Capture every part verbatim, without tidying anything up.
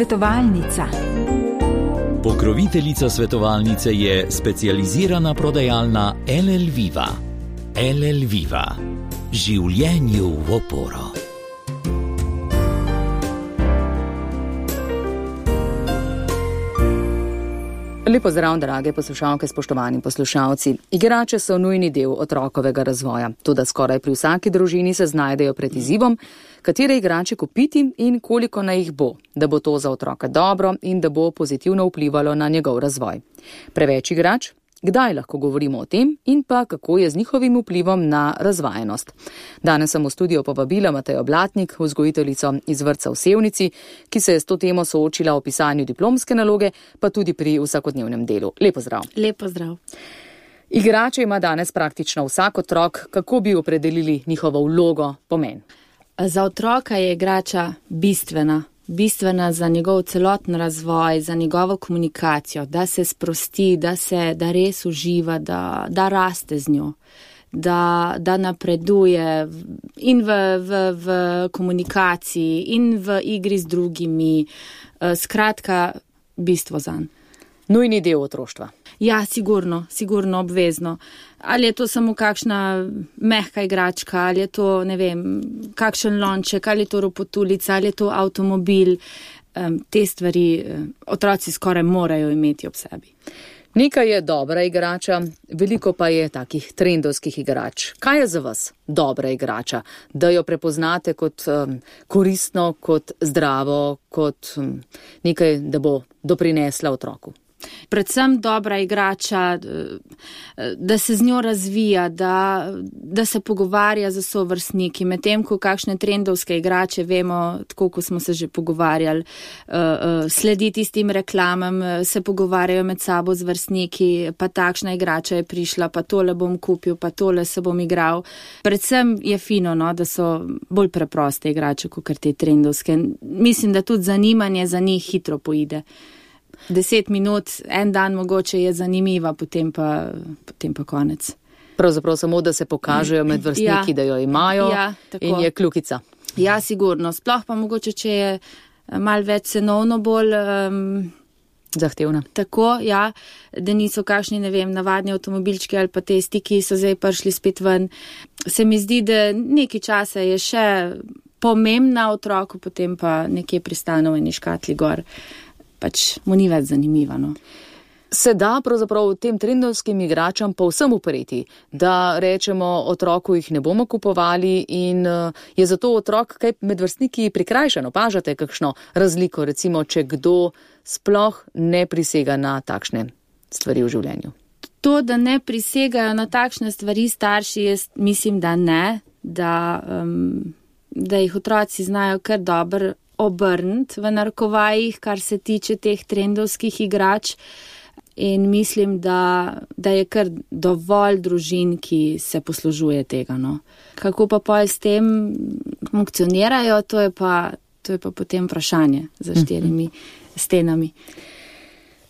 Svetovalnica. Pokroviteljica svetovalnice je specializirana prodajalna L L Viva. L L Viva. Življenju v oporo. Lepo zdrav, drage poslušalke, spoštovani poslušalci. Igrače so nujni del otrokovega razvoja, toda skoraj pri vsaki družini se znajdejo pred izzivom, katere igrače kupiti in koliko naj jih bo, da bo to za otroka dobro in da bo pozitivno vplivalo na njegov razvoj. Preveč igrač? Kdaj lahko govorimo o tem in pa kako je z njihovim vplivom na razvajenost? Danes sem v studio povabila Matejo Blatnik, vzgojiteljico iz vrtca v Sevnici, ki se je s to temo soočila v pisanju diplomske naloge, pa tudi pri vsakodnevnem delu. Lepo zdrav. Lepo zdrav. Igrače ima danes praktično vsak otrok. Kako bi opredelili njihovo vlogo, pomen? Za otroka je igrača bistvena. bistvena za njegov celoten razvoj, za njegovo komunikacijo, da se sprosti, da se, da res uživa, da, da raste z njo, da, da napreduje in v, v, v komunikaciji in v igri z drugimi. Skratka, bistvo zanj. Nujni del otroštva. Ja, sigurno, sigurno, obvezno. Ali je to samo kakšna mehka igračka, ali je to, ne vem, kakšen lonček, ali je to ropotulica, ali je to avtomobil. Um, te stvari um, otroci skoraj morajo imeti ob sebi. Nekaj je dobra igrača, veliko pa je takih trendovskih igrač. Kaj je za vas dobra igrača? Da jo prepoznate kot um, koristno, kot zdravo, kot um, nekaj, da bo doprinesla otroku? Predvsem dobra igrača, da se z njo razvija, da, da se pogovarja z sovrstniki, medtem ko kakšne trendovske igrače, vemo, tako ko smo se že pogovarjali, sledi tistim reklamam, se pogovarjajo med sabo z vrstniki, pa takšna igrača je prišla, pa tole bom kupil, pa tole se bom igral. Predvsem je fino, no, da so bolj preproste igrače, kot te trendovske. Mislim, da tudi zanimanje za njih hitro poide. Deset minut, en dan mogoče je zanimiva, potem pa, potem pa konec. Pravzaprav samo, da se pokažejo med vrstniki, ja, da jo imajo, ja, in je kljukica. Ja, sigurno. Sploh pa mogoče, če je malo več cenovno bolj um, zahtevna. Tako, ja, da niso kakšni, ne vem, navadni avtomobilčki ali pa testi, ki so zdaj prišli spet ven. Se mi zdi, da nekaj časa je še pomembna otroku, potem pa nekje pristane v eni škatli gor. Pač mu ni več zanimivo. No. Se da pravzaprav tem trendovskim igračam povsem upreti, da rečemo otroku jih ne bomo kupovali in je zato otrok kaj med vrstniki prikrajšan. Opažate kakšno razliko, recimo, če kdo sploh ne prisega na takšne stvari v življenju? To, da ne prisegajo na takšne stvari starši, jaz mislim, da ne, da, um, da jih otroci znajo kar dobro obrniti v narekovajih, kar se tiče teh trendovskih igrač, in mislim, da, da je kar dovolj družin, ki se poslužuje tega. No. Kako pa pol s tem funkcionirajo, to je pa, to je pa potem vprašanje za štirimi stenami.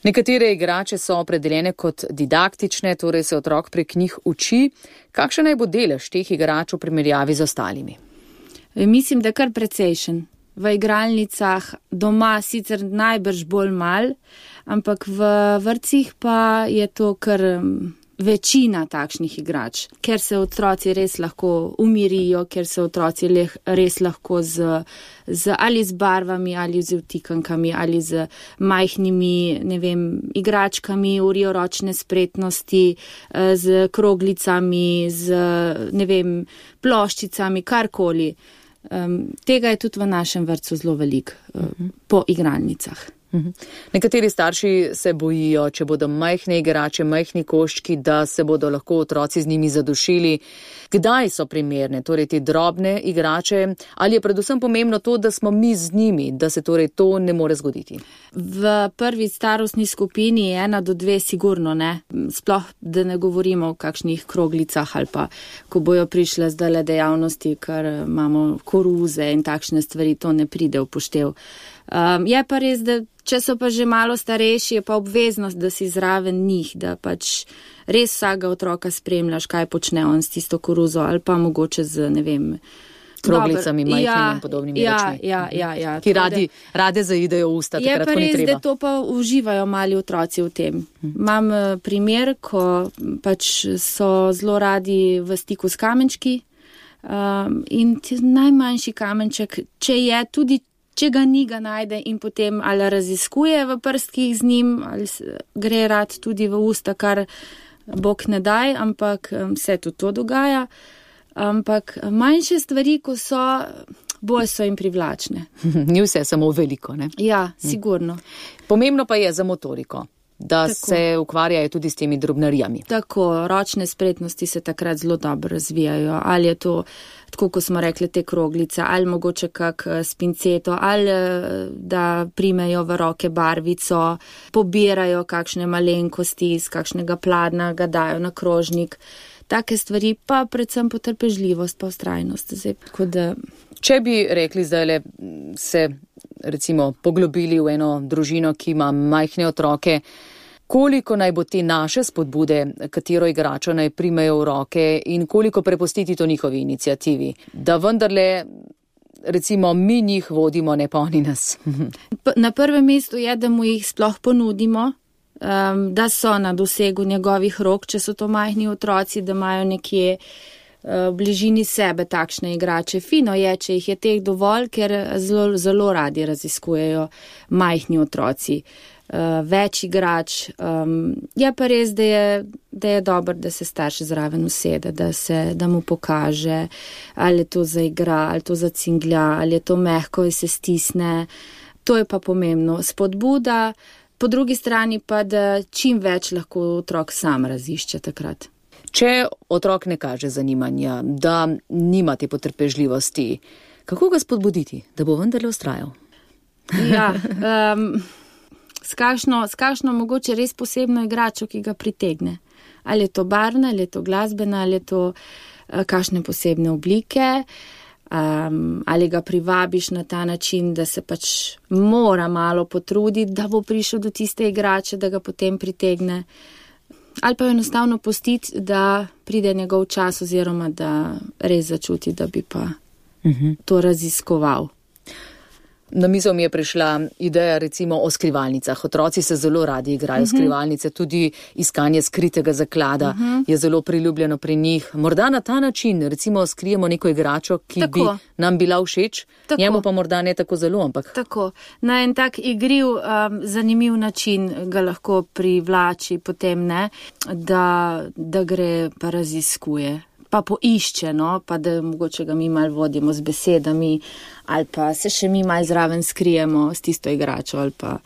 Nekatere igrače so opredeljene kot didaktične, torej se otrok prek njih uči. Kakšen naj bo delež teh igrač v primerjavi z ostalimi? Mislim, da kar precejšen. V igralnicah doma sicer najbrž bolj mal, ampak v vrtcih pa je to kar večina takšnih igrač, ker se otroci res lahko umirijo, ker se otroci res lahko z, z ali z barvami, ali z vtikankami, ali z majhnimi, ne vem, igračkami, urijo ročne spretnosti, z kroglicami, z, ne vem, ploščicami, karkoli. Um, tega je tudi v našem vrtcu zelo veliko uh, uh-huh. po igralnicah. Uh-huh. Nekateri starši se bojijo, če bodo majhne igrače, majhni koščki, da se bodo lahko otroci z njimi zadušili. Kdaj so primerne, torej te drobne igrače, ali je predvsem pomembno to, da smo mi z njimi, da se torej to ne more zgoditi? V prvi starostni skupini je ena do dve sigurno ne. Sploh, da ne govorimo o kakšnih kroglicah ali pa, ko bojo prišle zdajle dejavnosti, ker imamo koruze in takšne stvari, to ne pride v poštev. Um, je pa res, da če so pa že malo starejši, je pa obveznost, da si zraven njih, da pač res vsakega otroka spremljaš, kaj počne on s tisto koruzo ali pa mogoče z, ne vem, kroglicami, majhnimi ja, in podobnimi ja, rečmi. Ja, ja, ja. Ki radi, rade zaidejo v usta, takrat, ko ni treba. Je pa res, da to pa uživajo mali otroci v tem. Imam primer, ko pač so zelo radi v stiku s kamenčki um, in najmanjši kamenček, če je tudi, če ga ni, ga najde in potem ali raziskuje v prstkih z njim, ali gre rad tudi v usta, kar Bog ne daj, ampak se tudi to dogaja. Ampak manjše stvari, ko so, bolj so jim privlačne. Ni vse samo veliko, ne? Ja, sigurno. Pomembno pa je za motoriko, da Tako. se ukvarjajo tudi s temi drobnarijami. Tako, ročne spretnosti se takrat zelo dobro razvijajo. Ali je to, tako kot smo rekli, te kroglice, ali mogoče kak spinceto, ali da primejo v roke barvico, pobirajo kakšne malenkosti iz kakšnega pladna, ga dajo na krožnik. Take stvari, pa predvsem potrpežljivost, pa vztrajnost. Zdaj, da... Če bi rekli zdaj se recimo poglobili v eno družino, ki ima majhne otroke, koliko naj bo te naše spodbude, katero igračo naj primejo v roke in koliko prepustiti to njihovi inicijativi, da vendarle recimo mi njih vodimo, ne pa oni nas. Na prvem mestu je, da mu jih sploh ponudimo, Um, da so na dosegu njegovih rok, če so to majhni otroci, da imajo nekje uh, v bližini sebe takšne igrače. Fino je, če jih je teh dovolj, ker zelo, zelo radi raziskujejo majhni otroci. Uh, več igrač. Um, je pa res, da je, da je dobro, da se starš zraven usede, da, se, da mu pokaže, ali je to zaigra, ali to zacinglja, ali je to mehko in se stisne. To je pa pomembno. Spodbuda. Po drugi strani pa, da čim več lahko otrok sam razišče takrat. Če otrok ne kaže zanimanja, da nima te potrpežljivosti, kako ga spodbuditi, da bo vendarle vztrajal? Ja, um, s kakšno, s kakšno mogoče res posebno igračo, ki ga pritegne. Ali je to barvna, ali je to glasbena, ali je to uh, kakšne posebne oblike. Um, ali ga privabiš na ta način, da se pač mora malo potruditi, da bo prišel do tiste igrače, da ga potem pritegne. Ali pa enostavno pustiti, da pride njegov čas oziroma da res začuti, da bi pa uh-huh. to raziskoval. Na mizo mi je prišla ideja recimo o skrivalnicah. Otroci se zelo radi igrajo uh-huh. skrivalnice, tudi iskanje skritega zaklada uh-huh. je zelo priljubljeno pri njih. Morda na ta način recimo skrijemo neko igračo, ki tako. bi nam bila všeč, tako. njemu pa morda ne tako zelo, ampak. Tako. Na en tak igriv, um, zanimiv način ga lahko privlači potem, ne, da, da gre pa raziskuje. Pa poišče, no, pa da mogoče ga mi malo vodimo z besedami, ali pa se še mi malo zraven skrijemo s tisto igračo, ali pa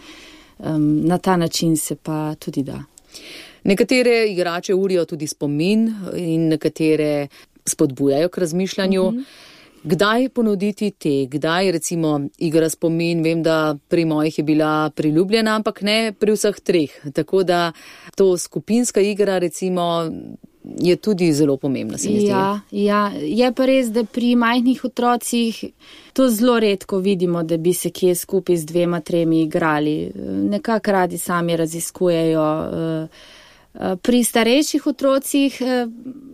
um, na ta način se pa tudi da. Nekatere igrače urijo tudi spomin in nekatere spodbujajo k razmišljanju. Mm-hmm. Kdaj ponuditi te, kdaj recimo igra spomin, vem, da pri mojih je bila priljubljena, ampak ne pri vseh treh. Tako da to skupinska igra recimo je tudi zelo pomembna, se mi zdi. Ja, ja, je pa res, da pri majhnih otrocih to zelo redko vidimo, da bi se kje skupaj z dvema, tremi igrali. Nekako radi sami raziskujejo. Pri starejših otrocih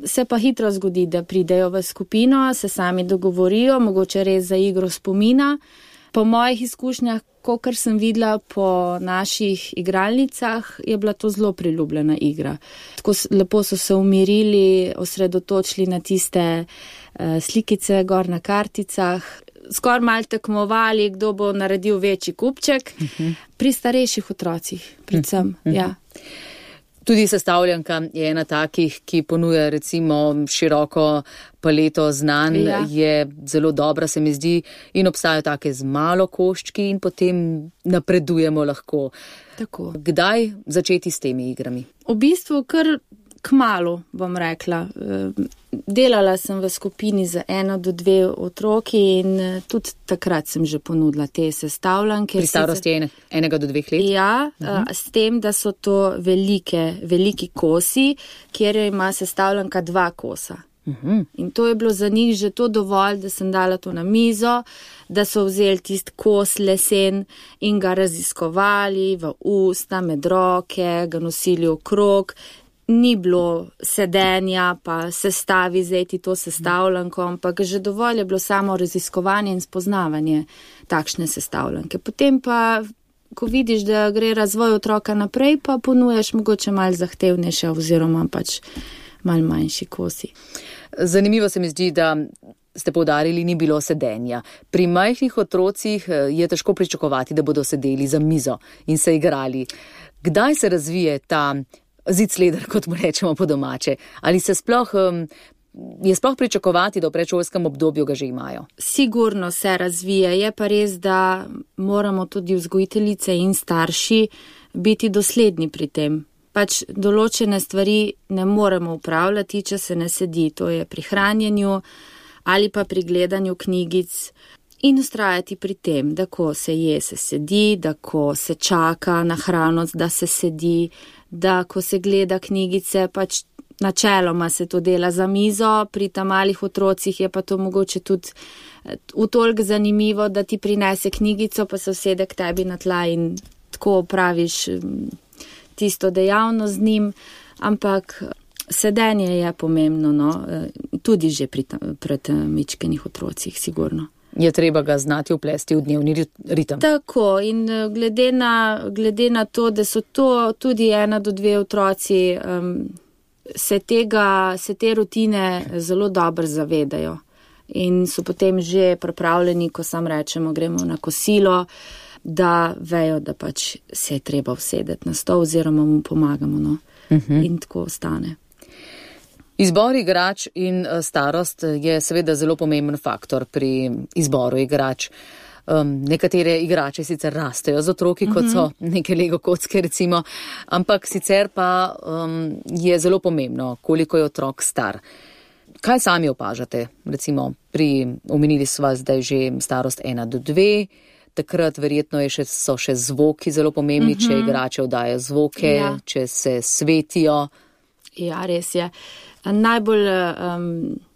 se pa hitro zgodi, da pridejo v skupino, se sami dogovorijo, mogoče res za igro spomina. Po mojih izkušnjah, kakor sem videla po naših igralnicah, je bila to zelo priljubljena igra. Tako lepo so se umirili, osredotočili na tiste uh, slikice gor na karticah, skoraj malo tekmovali, kdo bo naredil večji kupček. Uh-huh. Pri starejših otrocih, predvsem, uh-huh. ja. Tudi sestavljanka je ena takih, ki ponuja recimo široko paleto znanj, ja. je zelo dobra, se mi zdi, in obstajajo take z malo koščki in potem napredujemo lahko. Tako. Kdaj začeti s temi igrami? V bistvu kar kmalu, bom rekla. Delala sem v skupini za eno do dve otroki in tudi takrat sem že ponudila te sestavljanke. Pri starosti sicer... enega do dveh let? Ja, uh-huh. s tem, da so to velike, veliki kosi, kjer ima sestavljanka dva kosa. Uh-huh. In to je bilo za njih že to dovolj, da sem dala to na mizo, da so vzeli tist kos lesen in ga raziskovali v usta, med roke, ga nosili okrog. ni bilo sedenja, pa sestavi zdaj ti to sestavljanko, ampak že dovolj je bilo samo raziskovanje in spoznavanje takšne sestavljanke. Potem pa, ko vidiš, da gre razvoj otroka naprej, pa ponujaš mogoče malo zahtevnejše oziroma pač malo manjši kosi. Zanimivo se mi zdi, da ste poudarili, ni bilo sedenja. Pri majhnih otrocih je težko pričakovati, da bodo sedeli za mizo in se igrali. Kdaj se razvije ta zicleder, kot mu rečemo po domače? Ali se sploh, je sploh pričakovati, da v predšolskem obdobju ga že imajo? Sigurno se razvije, je pa res, da moramo tudi vzgojiteljice in starši biti dosledni pri tem. Pač določene stvari ne moremo upravljati, če se ne sedi, to je pri hranjenju ali pa pri gledanju knjigic, in ustrajati pri tem, da ko se je, se sedi, da ko se čaka na hrano, da se sedi, da ko se gleda knjigice, pač načeloma se to dela za mizo, pri ta malih otrocih je pa to mogoče tudi v toliko zanimivo, da ti prinese knjigico, pa se usede k tebi na tla in tako opraviš tisto dejavnost z njim, ampak sedenje je pomembno, no, tudi že pri pred mičkenih otrocih, sigurno. Je treba ga znati uplesti v dnevni ritem. Tako, in glede na, glede na to, da so to tudi ena do dve otroci, um, se, tega, se te rutine zelo dobro zavedajo in so potem že pripravljeni, ko sam rečemo, gremo na kosilo, da vejo, da pač se je treba usedeti na stol oziroma mu pomagamo, no, uh-huh. In tako ostane. Izbor igrač in starost je seveda zelo pomemben faktor pri izboru igrač. Um, nekatere igrače sicer rastejo z otroki, kot so neke Lego kocke recimo, ampak sicer pa um, je zelo pomembno, koliko je otrok star. Kaj sami opažate? Recimo, pri, omenili sva zdaj že starost ena do dve, takrat verjetno je še, so še zvoki zelo pomembni, uh-huh. če igrače oddajo zvoke, ja. Če se svetijo. Ja, res je. Najbolj um,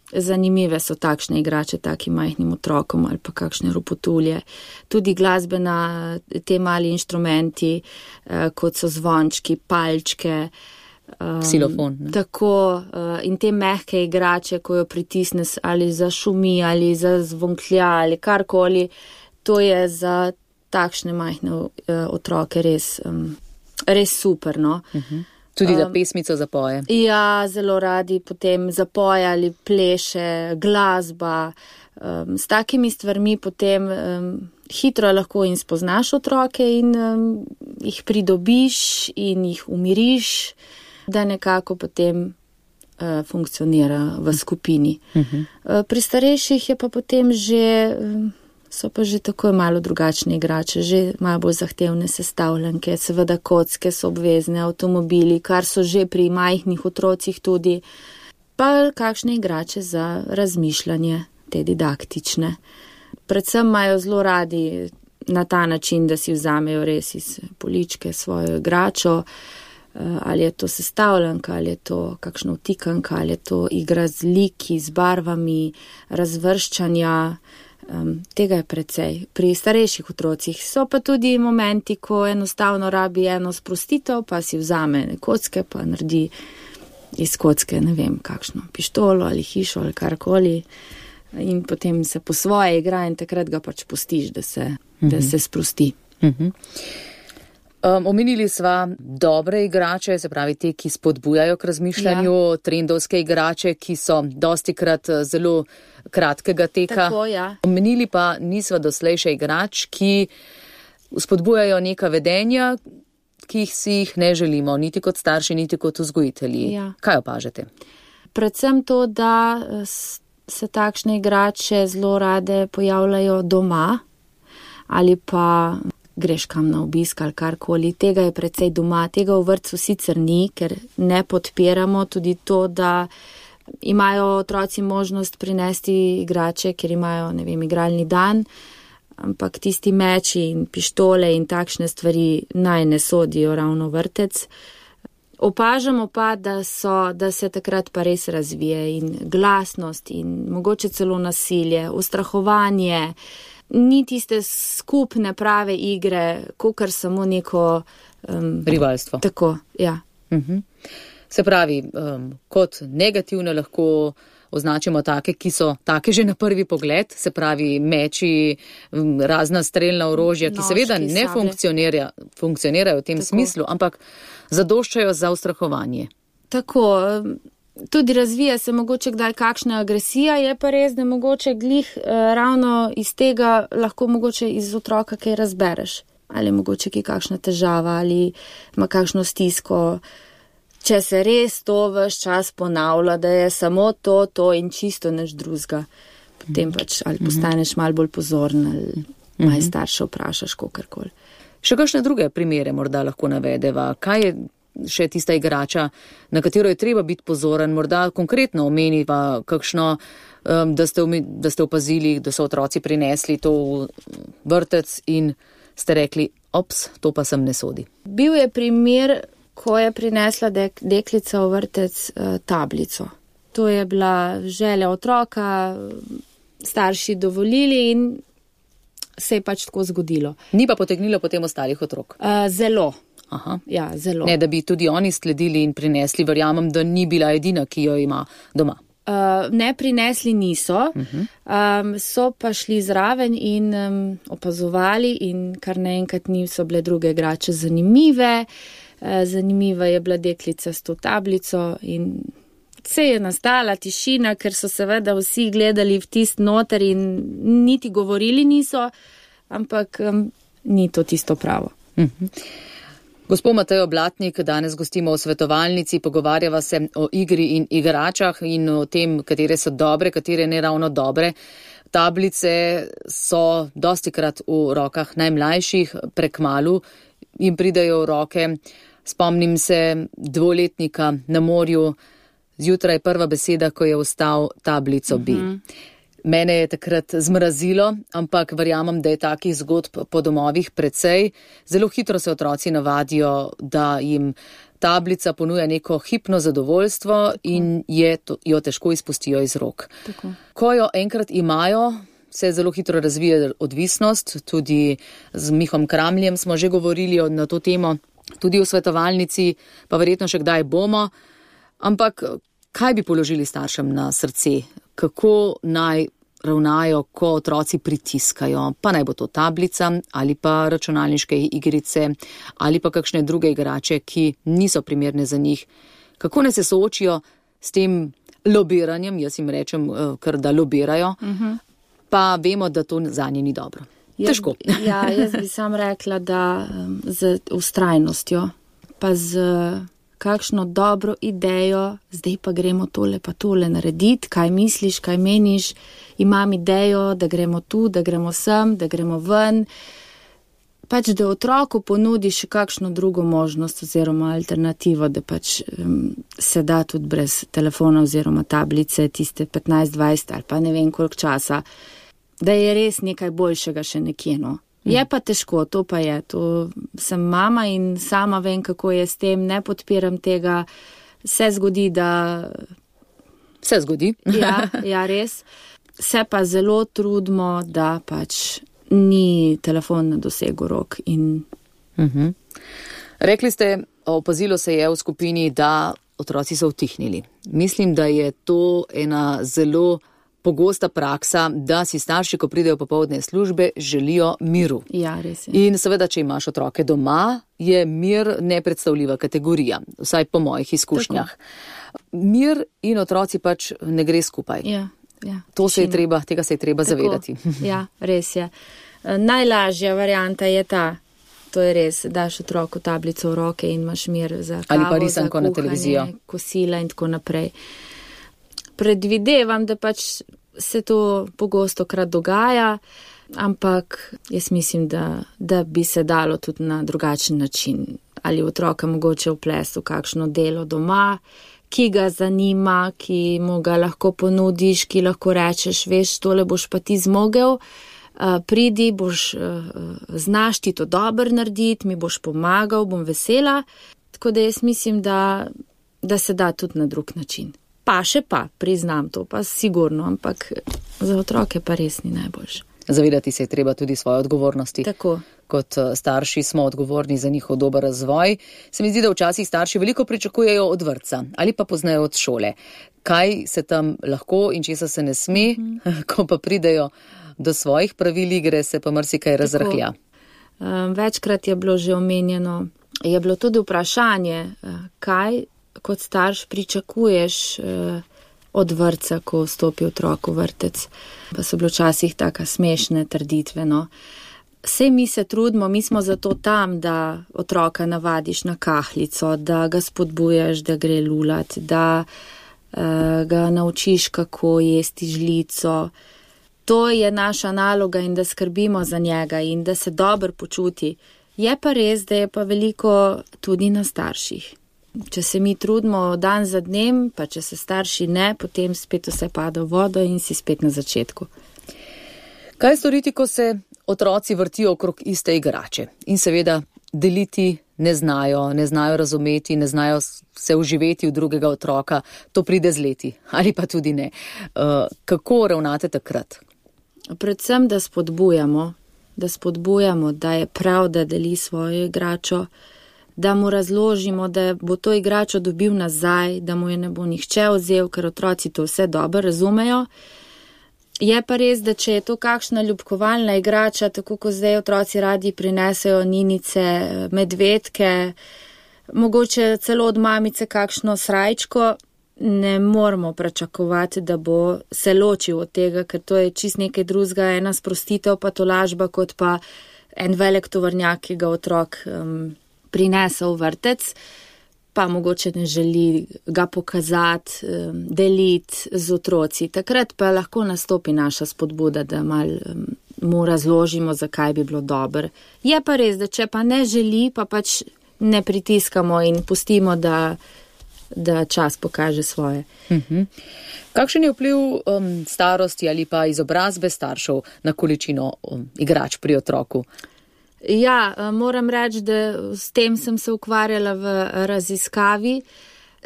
zanimive so takšne igrače takim majhnim otrokom ali pa kakšne ropotulje. Tudi glasbena, te mali inštrumenti, uh, kot so zvončki, palčke. Um, Ksilofon. Ne? Tako, uh, in te mehke igrače, ko jo pritisne ali za šumi ali za zvonklja ali karkoli, to je za takšne majhne uh, otroke res, um, res super, no. Uh-huh. Tudi da pesmico zapoje. Um, ja, zelo radi potem zapoje ali pleše, glasba. Um, s takimi stvarmi potem um, hitro lahko in spoznaš otroke in um, jih pridobiš in jih umiriš, da nekako potem uh, funkcionira v skupini. Uh-huh. Uh, pri starejših je pa potem že... Um, so pa že tako malo drugačne igrače, že malo bolj zahtevne sestavljanke, seveda kocke so obvezne, avtomobili, kar so že pri majhnih otrocih tudi, pa kakšne igrače za razmišljanje, te didaktične. Predvsem imajo zelo radi na ta način, da si vzamejo res iz poličke svojo igračo, ali je to sestavljanka, ali je to kakšna vtikanka, ali je to igra z liki, z barvami, razvrščanja. Um, tega je precej. Pri starejših otrocih so pa tudi momenti, ko enostavno rabi eno sprostitev, pa si vzame kocke, pa naredi iz kocke, ne vem, kakšno pištolo ali hišo ali karkoli in potem se po svoje igra in takrat ga pač pustiš, da se, uh-huh. da se sprosti. Uh-huh. Um, omenili sva dobre igrače, se pravi te, ki spodbujajo k razmišljanju, ja. Trendovske igrače, ki so dostikrat zelo kratkega teka. Tako, ja. Omenili pa nisva doslej še igrač, ki spodbujajo neka vedenja, ki jih si jih ne želimo, niti kot starši, niti kot vzgojitelji. Ja. Kaj opažate? Predvsem to, da se takšne igrače zelo rade pojavljajo doma ali pa greš kam na obisk ali karkoli. Tega je precej doma, tega v vrtcu sicer ni, ker ne podpiramo tudi to, da imajo otroci možnost prinesti igrače, ker imajo, ne vem, igralni dan, ampak tisti meči in pištole in takšne stvari naj ne sodijo ravno vrtec. Opažamo pa, da, so, da se takrat pa res razvije in glasnost in mogoče celo nasilje, ustrahovanje, ni tiste skupne prave igre, kakor samo neko... Um, rivalstvo. Tako, ja. Uh-huh. Se pravi, um, kot negativne lahko označimo take, ki so take že na prvi pogled, se pravi meči, razna strelna orožja, ki Noški, seveda ne funkcionira, funkcionirajo v tem Tako. smislu, ampak zadoščajo za ustrahovanje. Tako, tudi razvija se mogoče kdaj kakšna agresija, je pa res, da mogoče glih eh, ravno iz tega lahko mogoče iz otroka kaj razbereš. Ali mogoče ki kakšna težava, ali ima kakšno stisko. Če se res to ves čas ponavlja, da je samo to, to in čisto nič drugega, potem pač ali postaneš malo bolj pozoren, ali malo starše vprašaš, kakorkoli. Še kakšne druge primere morda lahko navedeva? Kaj je še tista igrača, na katero je treba biti pozoren? Morda konkretno omeniva kakšno, da ste, da ste opazili, da so otroci prinesli to v vrtec in ste rekli, ops, to pa sem ne sodi. Bil je primer, ko je prinesla dek, deklica v vrtec uh, tablico. To je bila želja otroka, starši dovolili in se je pač tako zgodilo. Ni pa potegnilo potem ostalih otrok? Uh, zelo. Aha. Ja, zelo. Ne, da bi tudi oni sledili in prinesli, verjamem, da ni bila edina, ki jo ima doma. Uh, ne, prinesli niso, uh-huh. um, so pa šli zraven in um, opazovali in kar naenkrat niso bile druge igrače zanimive. Zanimiva je bila deklica s to tablico in se je nastala tišina, ker so seveda vsi gledali v tist noter in niti govorili niso, ampak um, ni to tisto pravo. Mhm. Gospod Matejo Blatnik, danes gostimo v svetovalnici, pogovarjava se o igri in igračah in o tem, katere so dobre, katere ne ravno dobre. Tablice so dostikrat v rokah najmlajših, prekmalu jim pridejo v roke. Spomnim se dvoletnika na morju, zjutraj prva beseda, ko je vstal tablico bi. Uh-huh. Mene je takrat zmrazilo, ampak verjamem, da je takih zgodb po domovih precej. Zelo hitro se otroci navadijo, da jim tablica ponuja neko hipno zadovoljstvo in je to, jo težko izpustijo iz rok. Tako. Ko jo enkrat imajo, se zelo hitro razvija odvisnost. Tudi z Mihom Kramljem smo že govorili na to temo. Tudi v svetovalnici, pa verjetno še kdaj bomo. Ampak kaj bi položili staršem na srce? Kako naj ravnajo, ko otroci pritiskajo? Pa naj bo to tablica ali pa računalniške igrice ali pa kakšne druge igrače, ki niso primerne za njih. Kako naj se soočijo s tem lobiranjem, jaz jim rečem, kar da lobirajo, uh-huh. pa vemo, da to zanje ni dobro. Težko. Jaz, ja, jaz bi sam rekla, da um, z ustrajnostjo, pa z kakšno dobro idejo, zdaj pa gremo tole pa tole narediti, kaj misliš, kaj meniš, imam idejo, da gremo tu, da gremo sem, da gremo ven. Pač, da otroku ponudiš kakšno drugo možnost oziroma alternativo, da pač um, se da tudi brez telefona oziroma tablice, tiste petnajst dvajset ali pa ne vem koliko časa, da je res nekaj boljšega še nekje, no. Je pa težko, to pa je, to sem mama in sama vem, kako je s tem, ne podpiram tega, se zgodi, da... Se zgodi. Ja, ja, res. Se pa zelo trudimo, da pač ni telefon na dosegu rok in... Uh-huh. Rekli ste, opazilo se je v skupini, da otroci so utihnili. Mislim, da je to ena zelo pogosta praksa, da si starši, ko pridejo popoldne službe, želijo miru. Ja, res je. In seveda, če imaš otroke doma, je mir nepredstavljiva kategorija, vsaj po mojih izkušnjah. Tako. Mir in otroci pač ne gre skupaj. Ja, ja. To se je treba, tega se je treba Tako. zavedati. Ja, res je. Najlažja varianta je ta, to je res, daš otroku tablico v roke in imaš mir za kavo, ali pa risanko za na televizijo, kosila in tako naprej. Predvidevam, da pač se to pogosto krat dogaja, ampak jaz mislim, da, da bi se dalo tudi na drugačen način. Ali otroka mogoče vplesti v kakšno delo doma, ki ga zanima, ki mu ga lahko ponudiš, ki lahko rečeš, veš, tole boš pa ti zmogel, uh, pridi, boš, uh, znaš ti to dobro narediti, mi boš pomagal, bom vesela. Tako da jaz mislim, da, da se da tudi na drug način. Pa še pa, priznam to, pa sigurno, ampak za otroke pa res ni najboljše. Zavedati se je treba tudi svoje odgovornosti. Tako. Kot starši smo odgovorni za njihov dober razvoj. Se mi zdi, da včasih starši veliko pričakujejo od vrtca ali pa poznajo od šole. Kaj se tam lahko in česa se ne sme, mm-hmm. ko pa pridejo do svojih pravil igre, se pa marsikaj razrahlja. Večkrat je bilo že omenjeno, je bilo tudi vprašanje, kaj kot starš pričakuješ od vrtca, ko vstopi otrok v vrtec. Pa so bilo včasih taka smešne trditve, no. Sej mi se trudimo, mi smo zato tam, da otroka navadiš na kahlico, da ga spodbujaš, da gre lulat, da uh, ga naučiš, kako jesti žlico. To je naša naloga in da skrbimo za njega in da se dobro počuti. Je pa res, da je pa veliko tudi na starših. Če se mi trudimo dan za dnem, pa če se starši ne, potem spet vse pada v vodo in si spet na začetku. Kaj storiti, ko se otroci vrtijo okrog iste igrače in seveda deliti ne znajo, ne znajo razumeti, ne znajo se uživeti v drugega otroka, to pride z leti ali pa tudi ne. Uh, kako ravnate takrat? Predvsem, da spodbujamo, da spodbujamo, da je prav, da deli svojo igračo, da mu razložimo, da bo to igračo dobil nazaj, da mu je ne bo nihče vzel, ker otroci to vse dobro razumejo. Je pa res, da če je to kakšna ljubkovalna igrača, tako kot zdaj otroci radi prinesejo ninice, medvedke, mogoče celo od mamice kakšno srajčko, ne moramo pričakovati, da bo se ločil od tega, ker to je čist nekaj drugega, ena sprostitev pa tolažba, kot pa en velik tovornjak, ki ga otrok um, prinese v vrtec, pa mogoče ne želi ga pokazati, um, deliti z otroci. Takrat pa lahko nastopi naša spodbuda, da mal um, mu razložimo, zakaj bi bilo dobro. Je pa res, da če pa ne želi, pa pač ne pritiskamo in pustimo, da da čas pokaže svoje. Uh-huh. Kakšen je vpliv um, starosti ali pa izobrazbe staršev na količino um, igrač pri otroku? Ja, moram reči, da s tem sem se ukvarjala v raziskavi.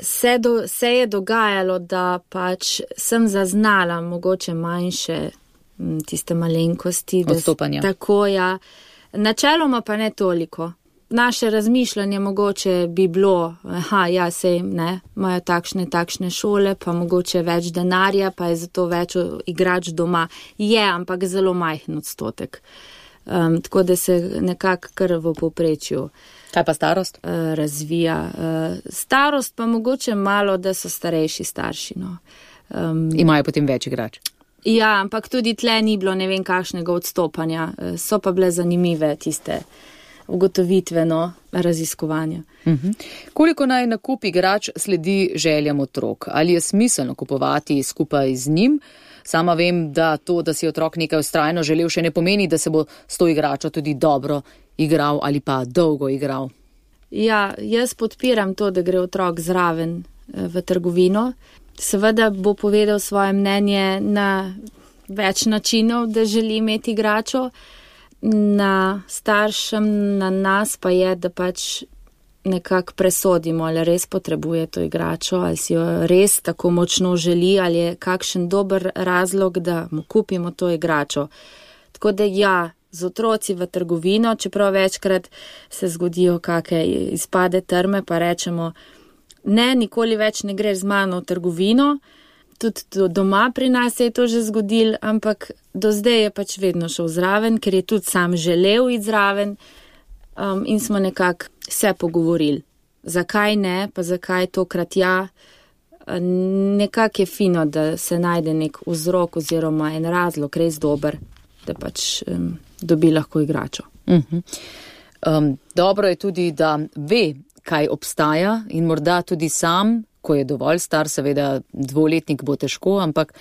Se, do, se je dogajalo, da pač sem zaznala mogoče manjše tiste malenkosti. Odstopanja. Da, tako, ja. Načeloma pa ne toliko. Naše razmišljanje mogoče bi bilo, aha, ja, sej, ne, imajo takšne, takšne šole, pa mogoče več denarja, pa je zato več igrač doma. Je, ampak zelo majhen odstotek. Um, tako da se nekako kar v povprečju. Kaj pa starost? Uh, razvija. Uh, starost pa mogoče malo, da so starejši starši, no. Um, Imajo potem več igrač. Ja, ampak tudi tle ni bilo ne vem kakšnega odstopanja. Uh, so pa bile zanimive tiste ugotovitveno raziskovanja. Uh-huh. Koliko naj nakup igrač sledi željam otrok? Ali je smiselno kupovati skupaj z njim? Sama vem, da to, da si otrok nekaj vztrajno želel, še ne pomeni, da se bo s to igračo tudi dobro igral ali pa dolgo igral. Ja, jaz podpiram to, da gre otrok zraven v trgovino. Seveda bo povedal svoje mnenje na več načinov, da želi imeti igračo. Na staršem, na nas pa je, da pač nekako presodimo, ali res potrebuje to igračo, ali si jo res tako močno želi, ali je kakšen dober razlog, da mu kupimo to igračo. Tako da ja, z otroci v trgovino, čeprav večkrat se zgodijo kakšne izpade trme, pa rečemo, ne, nikoli več ne greš z mano v trgovino. Tudi doma pri nas je to že zgodil, ampak do zdaj je pač vedno šel zraven, ker je tudi sam želel iti zraven um, in smo nekako se pogovorili. Zakaj ne, pa zakaj tokrat ja. Nekako je fino, da se najde nek vzrok oziroma en razlog res dober, da pač um, dobi lahko igračo. Uh-huh. Um, dobro je tudi, da ve, kaj obstaja in morda tudi sam, ko je dovolj star, seveda dvoletnik bo težko, ampak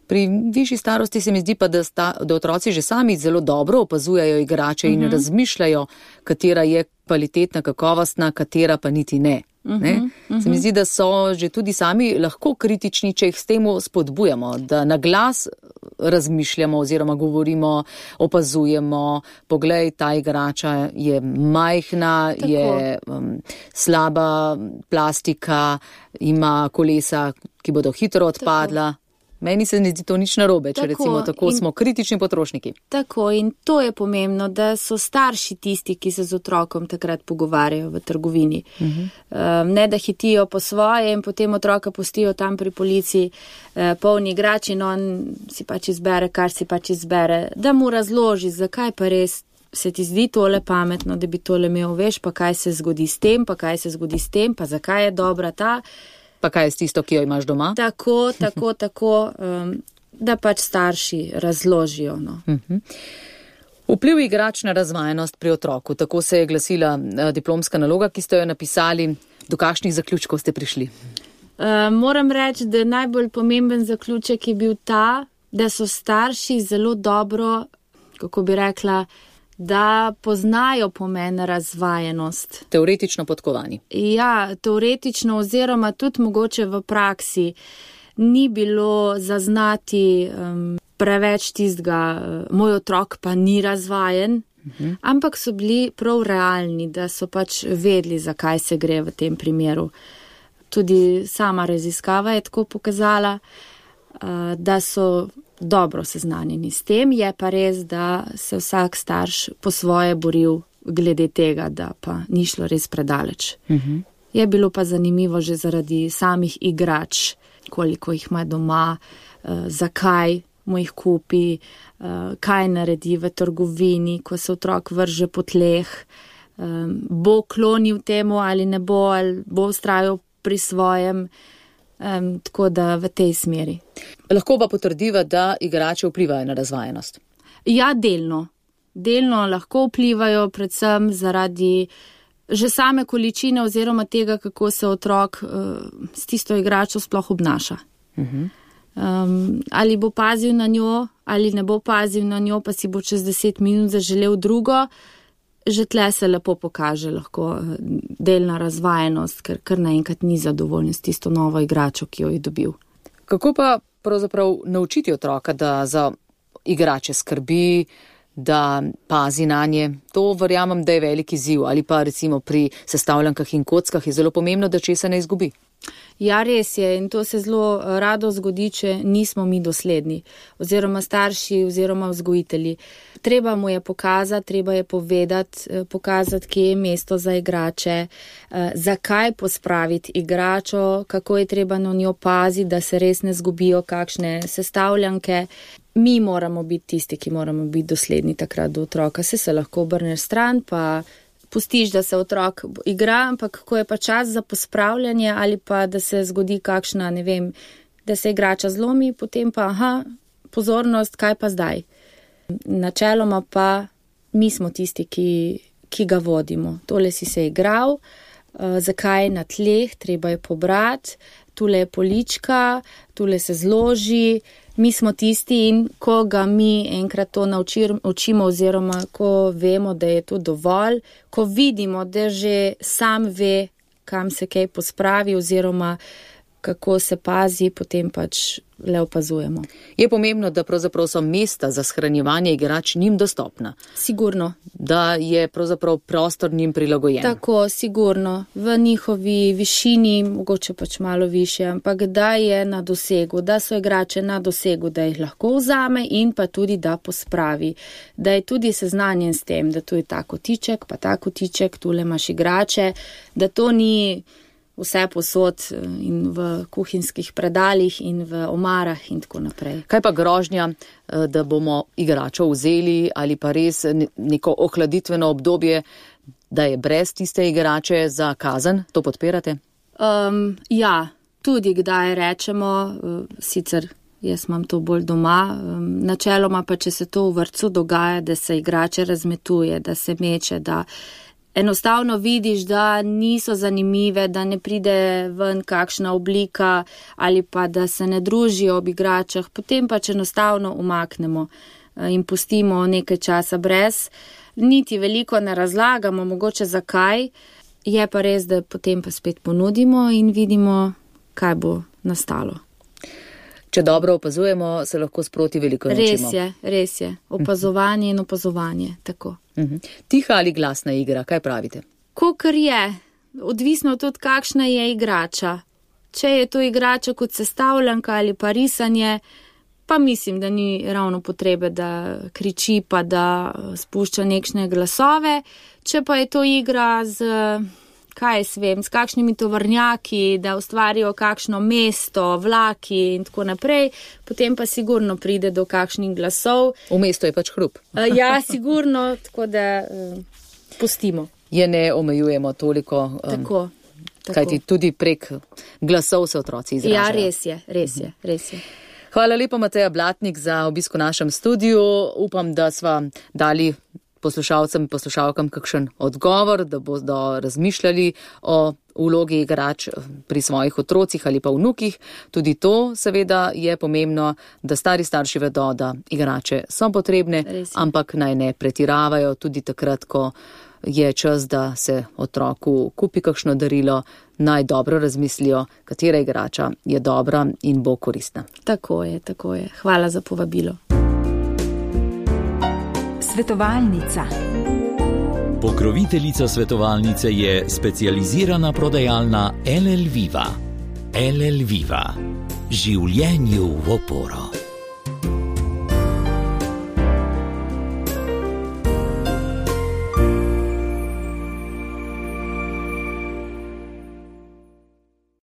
pri višji starosti se mi zdi pa, da, sta, da otroci že sami zelo dobro opazujejo igrače in uh-huh. razmišljajo, katera je kvalitetna, kakovostna, katera pa niti ne. Uh-huh. ne? Uh-huh. Se mi zdi, da so že tudi sami lahko kritični, če jih s tem spodbujamo, da na glas razmišljamo oziroma govorimo, opazujemo, poglej, ta igrača je majhna, tako. Je um, slaba plastika, ima kolesa, ki bodo hitro odpadla. Meni se ne zdi to nič narobe, če Tako, recimo tako in- smo kritični potrošniki. Tako, in to je pomembno, da so starši tisti, ki se z otrokom takrat pogovarjajo v trgovini. Uh-huh. Um, ne da hitijo po svoje in potem otroka pustijo tam pri polici uh, polni igrač in on si pač izbere, kar si pač izbere. Da mu razloži, zakaj pa res se ti zdi tole pametno, da bi tole imel, veš, pa kaj se zgodi s tem, pa kaj se zgodi s tem, pa zakaj je dobra ta. Pa kaj je s tisto, ki jo imaš doma? Tako, tako, tako, um, da pač starši razložijo. No. Uh-huh. Vpliv igrač na razvajenost pri otroku, tako se je glasila uh, diplomska naloga, ki ste jo napisali. Do kakšnih zaključkov ste prišli? Uh, moram reči, da najbolj pomemben zaključek je bil ta, da so starši zelo dobro, kako bi rekla, da poznajo pomen razvajenost. Teoretično podkovani. Ja, teoretično oziroma tudi mogoče v praksi ni bilo zaznati um, preveč tistega, uh, moj otrok pa ni razvajen, uh-huh. ampak so bili prav realni, da so pač vedeli, zakaj se gre v tem primeru. Tudi sama raziskava je tako pokazala, uh, da so dobro seznanjeni s tem, je pa res, da se vsak starš po svoje boril glede tega, da pa ni šlo res predaleč. Uh-huh. Je bilo pa zanimivo že zaradi samih igrač, koliko jih ima doma, uh, zakaj mu jih kupi, uh, kaj naredi v trgovini, ko se otrok vrže po tleh, um, bo klonil temu ali ne bo, ali bo vztrajal pri svojem. Um, tako da v tej smeri. Lahko pa potrdiva, da igrače vplivajo na razvajenost. Ja, delno. Delno lahko vplivajo, predvsem zaradi že same količine oziroma tega, kako se otrok uh, s tisto igračo sploh obnaša. Uh-huh. Um, ali bo pazil na njo, ali ne bo pazil na njo, pa si bo čez deset minut zaželel drugo. Že tle se lepo pokaže lahko delna razvajenost, ker kar naenkrat ni zadovoljen s tisto novo igračo, ki jo je dobil. Kako pa pravzaprav naučiti otroka, da za igrače skrbi, da pazi na nje? To verjamem, da je velik izziv, ali pa recimo pri sestavljankah in kockah je zelo pomembno, da česa ne izgubi. Ja, res je, in to se zelo rado zgodi, če nismo mi dosledni, oziroma starši, oziroma vzgojitelji. Treba mu je pokazati, treba je povedati, pokazati, kje je mesto za igrače, zakaj pospraviti igračo, kako je treba na njo paziti, da se res ne zgubijo kakšne sestavljanke. Mi moramo biti tisti, ki moramo biti dosledni takrat do otroka. Se se lahko obrneš stran, pa pustiš, da se otrok igra, ampak ko je pa čas za pospravljanje ali pa da se zgodi kakšna, ne vem, da se igrača zlomi, potem pa, aha, pozornost, kaj pa zdaj? Načeloma pa mi smo tisti, ki, ki ga vodimo. Tole si se igral, uh, zakaj na tleh, treba je pobrati, tule je polička, tule se zloži. Mi smo tisti in ko ga mi enkrat to naučir, učimo oziroma ko vemo, da je to dovolj, ko vidimo, da že sam ve, kam se kaj pospravi oziroma kako se pazi, potem pač le opazujemo. Je pomembno, da pravzaprav so mesta za shranjevanje igrač njim dostopna. Sigurno. Da je pravzaprav prostor njim prilagojen. Tako, sigurno. V njihovi višini, mogoče pač malo više, ampak da je na dosegu, da so igrače na dosegu, da jih lahko vzame in pa tudi da pospravi. Da je tudi seznanjen s tem, da tu je ta kotiček, pa ta kotiček, tule imaš igrače, da to ni vse posod in v kuhinjskih predalih in v omarah in tako naprej. Kaj pa grožnja, da bomo igračo vzeli ali pa res neko ohladitveno obdobje, da je brez tiste igrače za kazen? To podpirate? Um, ja, tudi kdaj rečemo, sicer jaz imam to bolj doma, um, načeloma pa, če se to v vrtcu dogaja, da se igrače razmetuje, da se meče, da enostavno vidiš, da niso zanimive, da ne pride ven kakšna oblika ali pa da se ne družijo ob igračah, potem pač enostavno umaknemo in pustimo nekaj časa brez. Niti veliko ne razlagamo, mogoče zakaj, je pa res, da potem pa spet ponudimo in vidimo, kaj bo nastalo. Če dobro opazujemo, se lahko sproti veliko naučimo. Res je, res je. Opazovanje in opazovanje, tako. Uh-huh. Tiha ali glasna igra, kaj pravite? Kakor je, odvisno tudi kakšna je igrača. Če je to igrača kot sestavljanka ali pa risanje, pa mislim, da ni ravno potrebe, da kriči pa da spušča nekšne glasove. Če pa je to igra z, kaj jaz vem, s kakšnimi tovornjaki, da ustvarijo kakšno mesto, vlaki in tako naprej, potem pa sigurno pride do kakšnih glasov. V mestu je pač hrup. Ja, sigurno, tako da uh, pustimo. Je ne omejujemo toliko. Um, tako, tako. Kajti tudi prek glasov se otroci izražajo. Ja, res je, res je, res je. Hvala lepa, Mateja Blatnik, za obisk v našem studiu. Upam, da sva dali poslušalcem in poslušalkam kakšen odgovor, da bodo razmišljali o vlogi igrač pri svojih otrocih ali pa vnukih. Tudi to seveda je pomembno, da stari starši vedo, da igrače so potrebne, ampak naj ne pretiravajo tudi takrat, ko je čas, da se otroku kupi kakšno darilo, naj dobro razmislijo, katera igrača je dobra in bo koristna. Tako je, tako je. Hvala za povabilo. Svetovalnica. Pokroviteljica svetovalnice je specializirana prodajalna L L Viva. L L Viva. Življenju v oporo.